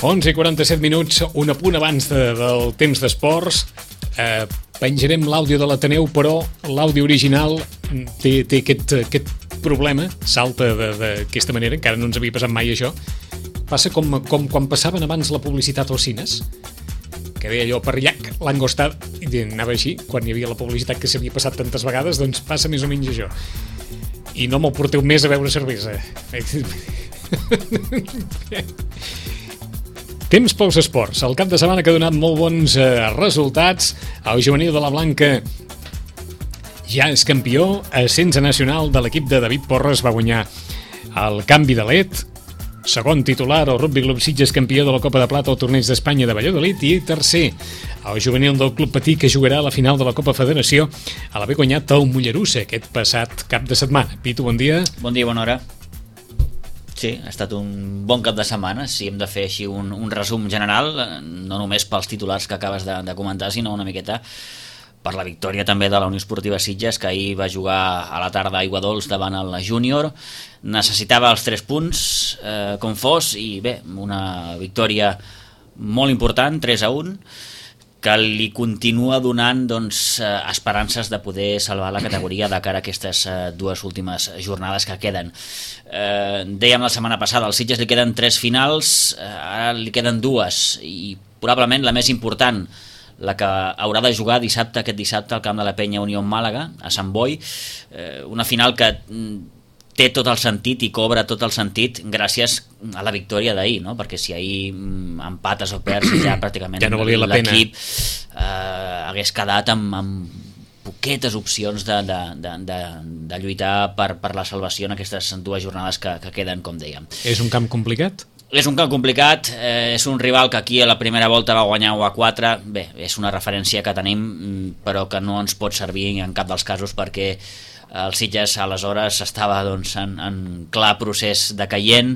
11:47, un apunt abans del temps d'esports. Penjarem l'àudio de l'Ateneu, però l'àudio original té aquest problema, salta d'aquesta manera, encara no ens havia passat mai això. Passa com quan passaven abans la publicitat als cines, que deia allò per llac, l'angostat, i anava així, quan hi havia la publicitat que s'havia passat tantes vegades, doncs passa més o menys això. I no me'l porteu més a beure cervesa. Temps pels esports. El cap de setmana que ha donat molt bons resultats. El juvenil de la Blanca ja és campió. Ascens nacional de l'equip de David Porres, va guanyar el canvi de led. Segon titular, el Rugby Club Sitges, campió de la Copa de Plata al Torneig d'Espanya de Valladolid. I tercer, el juvenil del Club Patí, que jugarà a la final de la Copa Federació a l'haver guanyat el Mollerussa aquest passat cap de setmana. Pitu, bon dia. Bon dia, bona hora. Sí, ha estat un bon cap de setmana. Si hem de fer així un resum general, no només pels titulars que acabes de comentar, sinó una miqueta per la victòria també de la Unió Esportiva Sitges, que ahir va jugar a la tarda a Aiguadols davant el júnior. Necessitava els 3 punts com fos, i bé, una victòria molt important, 3-1, que li continua donant esperances de poder salvar la categoria de cara a aquestes dues últimes jornades que queden. Dèiem la setmana passada, al Sitges li queden 3 finals, ara li queden 2, i probablement la més important, la que haurà de jugar aquest dissabte al camp de la Penya Unió Màlaga, a Sant Boi, una final que té tot el sentit i cobra tot el sentit gràcies a la victòria d'ahir, no? Perquè si ahir empates o perds ja pràcticament ja no valia la pena. L'equip hagués quedat amb poquetes opcions de lluitar per la salvació en aquestes 2 jornades que queden, com dèiem. És un camp complicat? És un camp complicat, és un rival que aquí a la primera volta va guanyar 1-4, bé, és una referència que tenim, però que no ens pot servir en cap dels casos, perquè el Sitges aleshores estava en clar procés decaient,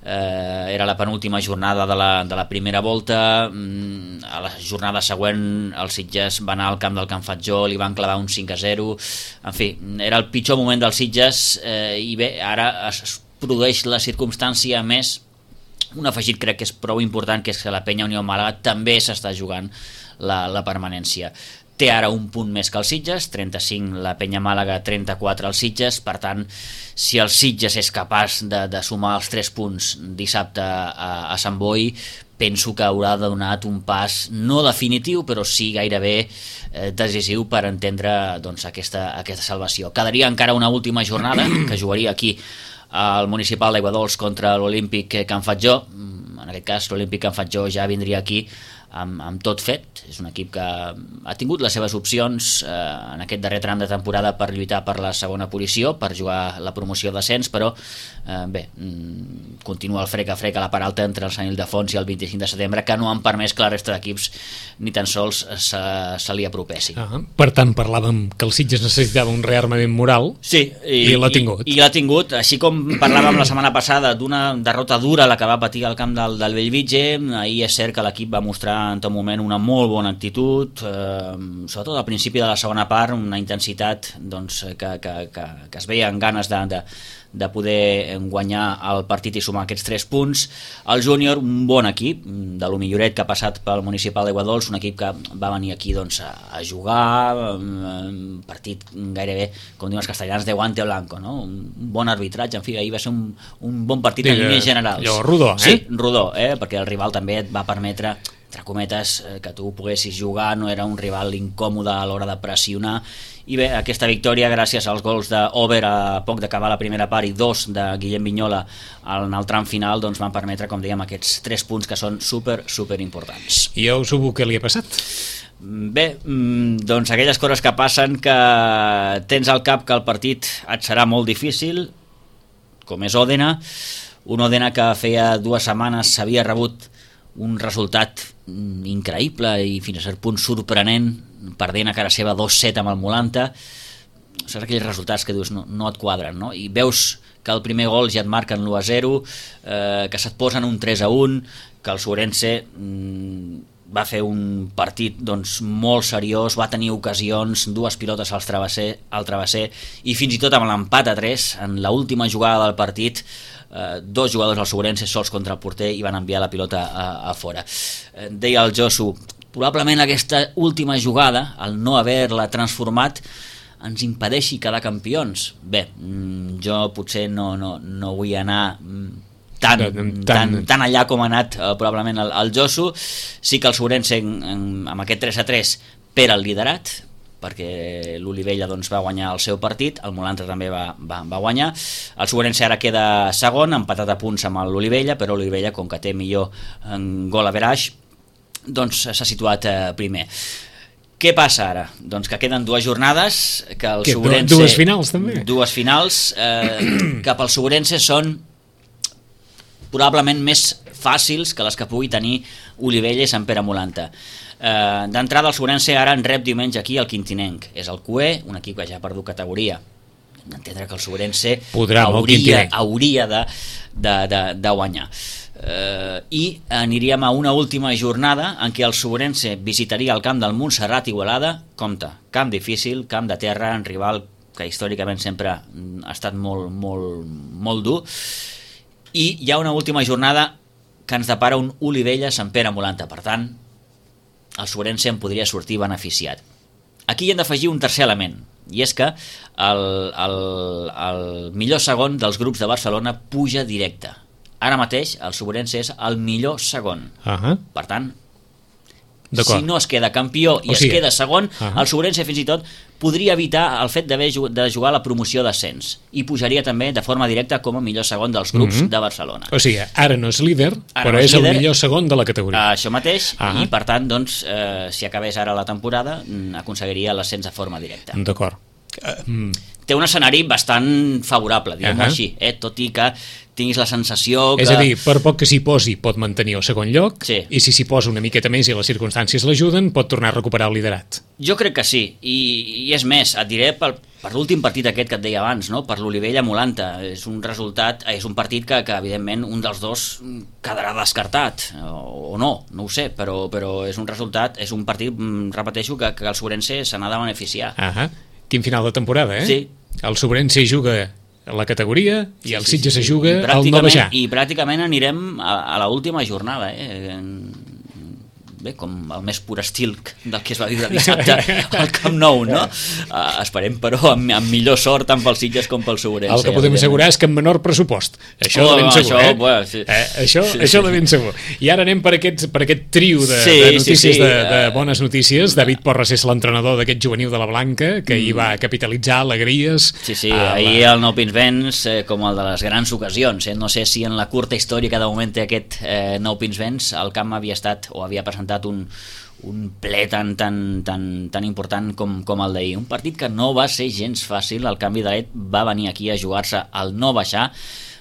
era la penúltima jornada de la primera volta, a la jornada següent el Sitges va anar al camp del Can Fatjó, li van clavar un 5-0, en fi, era el pitjor moment del Sitges, i bé, ara es produeix la circumstància més, un afegit crec que és prou important, que és que la Penya Unió Màlaga també s'està jugant la permanència. Té ara un punt més que el Sitges, 35 la Penya Màlaga, 34 el Sitges, per tant, si el Sitges és capaç de sumar els 3 punts dissabte a Sant Boi, penso que haurà donat un pas no definitiu, però sí gairebé decisiu per entendre aquesta salvació. Quedaria encara una última jornada, que jugaria aquí al Municipal d'Aiguadols contra l'Olímpic Can Fatjó. En aquest cas l'Olímpic Can Fatjó ja vindria aquí amb tot fet. És un equip que ha tingut les seves opcions en aquest darrer tram de temporada per lluitar per la segona posició, per jugar la promoció d'ascens, però bé, continua el frec a frec a la part alta entre el Sant Ildefons i el 25 de setembre, que no han permès que la resta d'equips ni tan sols se li apropessin. Per tant, parlàvem que el Sitges necessitava un rearmament moral, sí, i l'ha tingut. I l'ha tingut, així com parlàvem la setmana passada d'una derrota dura la que va patir al camp del Bellvitge. Ahir és cert que l'equip va mostrar en tot moment una molt bona actitud, sobretot al principi de la segona part, una intensitat que es veia en ganes de poder guanyar el partit i sumar aquests 3 punts. El júnior, un bon equip, de lo milloret que ha passat pel Municipal d'Aiguadols, un equip que va venir aquí a jugar, un partit gairebé, com diuen els castellans, de guante blanco, no? Un bon arbitratge, en fi, ahir va ser un bon partit en línies generals. Allò rodó, Sí, rodó, perquè el rival també et va permetre, entre cometes, que tu poguessis jugar, no era un rival incòmode a l'hora de pressionar, i bé, aquesta victòria gràcies als gols d'Ober a poc d'acabar la primera part i 2 de Guillem Vignola en el tram final, doncs van permetre, com dèiem, aquests 3 punts que són super importants. I a Osubu què li ha passat? Bé, doncs aquelles coses que passen, que tens al cap que el partit et serà molt difícil, com és Òdena, un Òdena que feia 2 setmanes s'havia rebut un resultat increïble i fins a cert punt sorprenent, perdent a cara seva 2-7 amb el Molanta. Saps aquells resultats que dius no et quadren, no? I veus que el primer gol ja et marquen l'1-0, que se't posen un 3-1, que el Surense va fer un partit doncs, molt seriós, va tenir ocasions, 2 pilotes al travesser i fins i tot amb l'empat a 3 en l'última jugada del partit 2 jugadors del Segurense sols contra el porter i van enviar la pilota a fora. Deia el Josu, probablement aquesta última jugada, el no haver-la transformat, ens impedeixi quedar campions. Bé, jo potser no vull anar tan allà com ha anat probablement el Josu. Sí que el Segurense amb aquest 3-3 perd el liderat, perquè l'Olivella doncs, va guanyar el seu partit, el Molantra també va guanyar, el Segurense ara queda segon, empatat a punts amb l'Olivella, però l'Olivella, com que té millor gol average, doncs s'ha situat primer. Què passa ara? Doncs que queden 2 jornades, que el Segurense... Dues finals també? 2 finals, que pel Segurense són probablement més fàcils que les que pugui tenir Olivella i Sant Pere Molanta. D'entrada el Segurense ara en rep diumenge aquí el Quintinenc, és el QE, un equip que ja ha perdut categoria. Hem d'entendre que el Segurense hauria de guanyar. I aniríem a una última jornada en què el Segurense visitaria el camp del Montserrat Igualada. Compte, camp difícil, camp de terra, un rival que històricament sempre ha estat molt dur, i hi ha una última jornada que ens depara un Olivella-Sant Pere Molanta. Per tant, el Segurense en podria sortir beneficiat. Aquí hi hem d'afegir un tercer element, i és que el millor segon dels grups de Barcelona puja directe. Ara mateix el Segurense és el millor segon. Per tant, si no es queda campió i es queda segon, el Segurense fins i tot podria evitar el fet de jugar la promoció d'ascens i pujaria també de forma directa com a millor segon dels grups de Barcelona. O sigui, ara no és líder, però és el millor segon de la categoria. Això mateix, i per tant, doncs, si acabés ara la temporada, aconseguiria l'ascens de forma directa. D'acord. Té un escenari bastant favorable, diguem-ho així, tot i que tinguis la sensació que... És a dir, per poc que s'hi posi pot mantenir el segon lloc, i si s'hi posa una miqueta més i les circumstàncies l'ajuden, pot tornar a recuperar el liderat. Jo crec que sí, i és més, et diré per l'últim partit aquest que et deia abans, no? Per l'Olivella-Molanta, és un partit que evidentment un dels dos quedarà descartat, o no ho sé, però és un resultat, és un partit, repeteixo, que el Segurense se n'ha de beneficiar. Quin final de temporada, eh? Sí. El Segurense juga la categoria i el Sitges se juga al no baixar. I pràcticament anirem a l'última jornada, bé, com el més pur estil del que es va viure dissabte al Camp Nou, no? Esperem, però, amb millor sort tant pel Sitges com pel Segurense. El que podem assegurar és que amb menor pressupost. Això de ben segur, Això de ben segur. I ara anem per aquest trio de notícies, de bones notícies. David Porras és l'entrenador d'aquest juvenil de la Blanca, que hi va capitalitzar alegries. Sí, ahir el Nou Pinsbens, com el de les grans ocasions. No sé si en la curta història que de moment té aquest Nou Pinsbens, el camp havia estat o havia presentat un ple tan important com el d'ahir. Un partit que no va ser gens fàcil. El canvi de led va venir aquí a jugar-se al no baixar.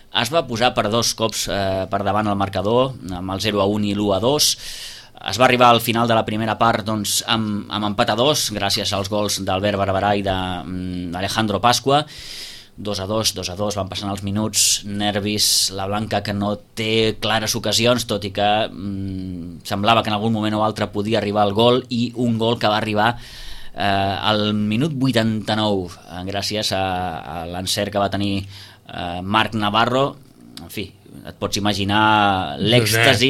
Es va posar per 2 cops per davant el marcador, amb el 0-1 i l'1-2. Es va arribar al final de la primera part doncs, amb empat a 2, gràcies als gols d'Albert Barberà i d'Alejandro Pasqua. 2-2, van passant els minuts, nervis, la Blanca que no té clares ocasions, tot i que semblava que en algun moment o altre podia arribar el gol, i un gol que va arribar al minut 89, gràcies a l'encert que va tenir Marc Navarro. En fi, et pots imaginar l'èxtasi.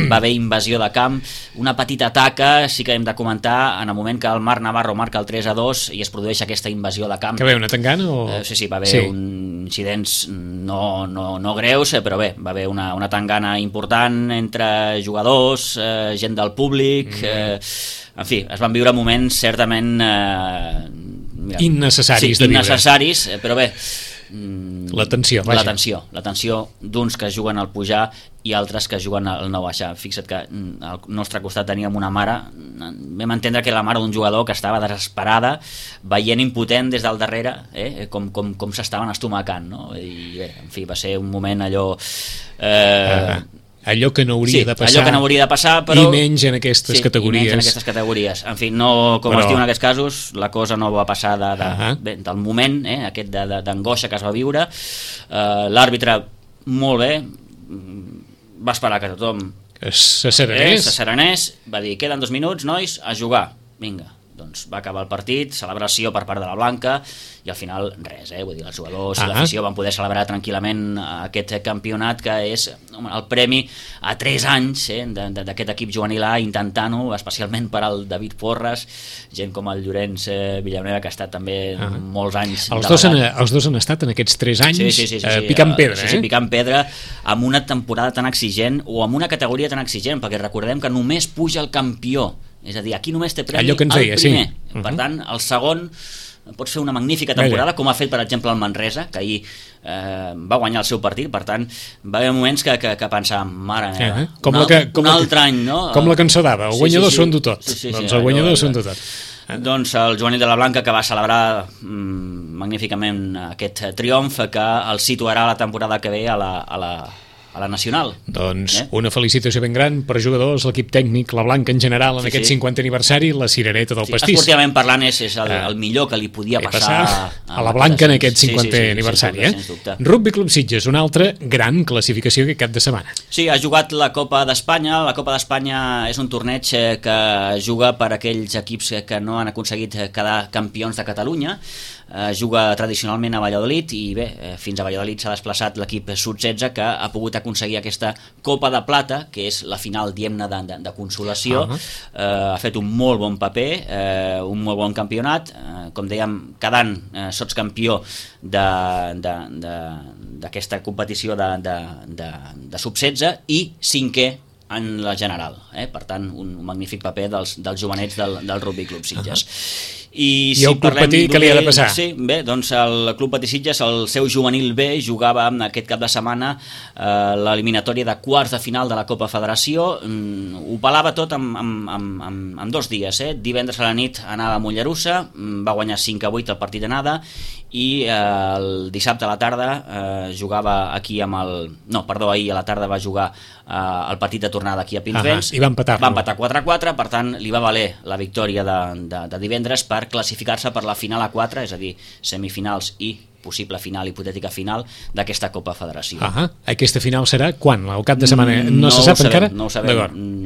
Va haver invasió de camp, una petita taca, sí que hem de comentar, en el moment que el Marc Navarro marca el 3-2 i es produeix aquesta invasió de camp. Que ve una tangana? Sí, va haver incidents no greus, però bé, va haver una tangana important entre jugadors, gent del públic, en fi, es van viure moments certament innecessaris de viure. Innecessaris, però bé, la tensió d'uns que juguen al pujar i altres que juguen al no baixar. Fixa't que al nostre costat teníem una mare, vam entendre que era la mare d'un jugador que estava desesperada, veient impotent des del darrere com s'estaven estomacant, no? I bé, en fi, va ser un moment allò allò que no hauria de passar, allò que no hauria de passar, però... i menys en aquestes categories. I menys en aquestes categories. En fi, no, com es diu en aquests casos, la cosa no va passar del moment, aquest d'angoixa que es va viure. L'àrbitre, molt bé, va esperar que tothom Serenés va dir, queden 2 minuts, nois, a jugar, vinga. Doncs va acabar el partit, celebració per part de la Blanca i al final res, vull dir, els jugadors i l'afició van poder celebrar tranquil·lament aquest campionat que és el premi a 3 anys d'aquest equip juvenil A, intentant-ho, especialment per al David Porres, gent com el Llorenç Villanueva, que ha estat també molts anys els dos han estat en aquests 3 anys picant pedra. Sí, picant pedra amb una temporada tan exigent o amb una categoria tan exigent, perquè recordem que només puja el campió. És a dir, aquí només té premi el primer. Per tant, el segon pots fer una magnífica temporada, com ha fet, per exemple, el Manresa, que ahir va guanyar el seu partit. Per tant, va haver moments que pensàvem, mare meva, un altre any, no? Com la cançó d'Ava, el guanyador s'ho tot. Doncs el guanyador s'ho tot. Doncs el Joanil de la Blanca, que va celebrar magníficament aquest triomf, que el situarà la temporada que ve a la Nacional. Doncs una felicitació ben gran per jugadors, l'equip tècnic, la Blanca en general, en aquest 50 aniversari, la cirereta del pastís. Esportivament parlant és el millor que li podia passar a la Blanca en aquest 50 aniversari. Rugby Club Sitges, una altra gran classificació aquest cap de setmana. Sí, ha jugat la Copa d'Espanya. La Copa d'Espanya és un torneig que juga per aquells equips que no han aconseguit quedar campions de Catalunya. Juga tradicionalment a Valladolid i bé, fins a Valladolid s'ha desplaçat l'equip Sud-16, que ha pogut aconseguir aquesta Copa de Plata, que és la final, diguem-ne, de consolació. Ha fet un molt bon paper, un molt bon campionat, com dèiem, quedant sotscampió d'aquesta competició de sub-16 i 5è en la general. Per tant, un magnífic paper dels jovenets del Rugby Club Sitges. I el Club Patí, què li ha de passar? Sí, bé, doncs el Club Patí Sitges, el seu juvenil B, jugava aquest cap de setmana l'eliminatòria de quarts de final de la Copa Federació. Ho pelava tot en 2 dies. Divendres a la nit anava a Mollerussa, va guanyar 5-8 el partit d'anada, i el dissabte a la tarda jugava aquí amb ahir a la tarda va jugar el partit de tornada aquí a Pinsbens i va empatar 4-4, per tant li va valer la victòria de divendres per classificar-se per la final A4, és a dir, semifinals i possible final, hipotètica final d'aquesta Copa Federació. Aquesta final serà quan? El cap de setmana? No se sap encara? No ho sabem.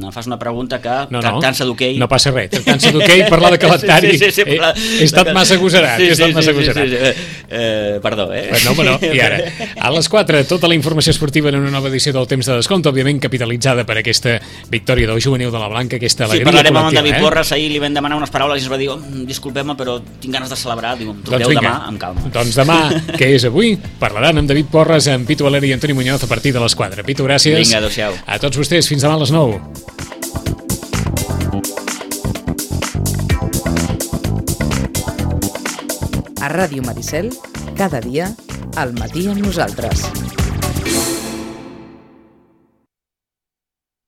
Em fas una pregunta que tractant-se d'hoquei... No passa res, tractant-se d'hoquei, parlar de calendari. He estat massa agosarat. Perdó, I ara, a les 4, tota la informació esportiva en una nova edició del Temps de Descompte, òbviament capitalitzada per aquesta victòria del juvenil de la Blanca, aquesta alegria col·lectiva. Parlarem amb en David Porres, ahir li vam demanar unes paraules i ens va dir, disculpem-me, però tinc ganes de celebrar, diu, torneu demà amb calma. Doncs demà, que és avui, parlaran amb David Porres, amb Pitu Valeri i Antoni Muñoz a partir de les 4. Pitu, gràcies. Vinga, adéu-siau. A tots vostès, fins demà a les 9. A Ràdio Maricel, cada dia, al matí amb nosaltres.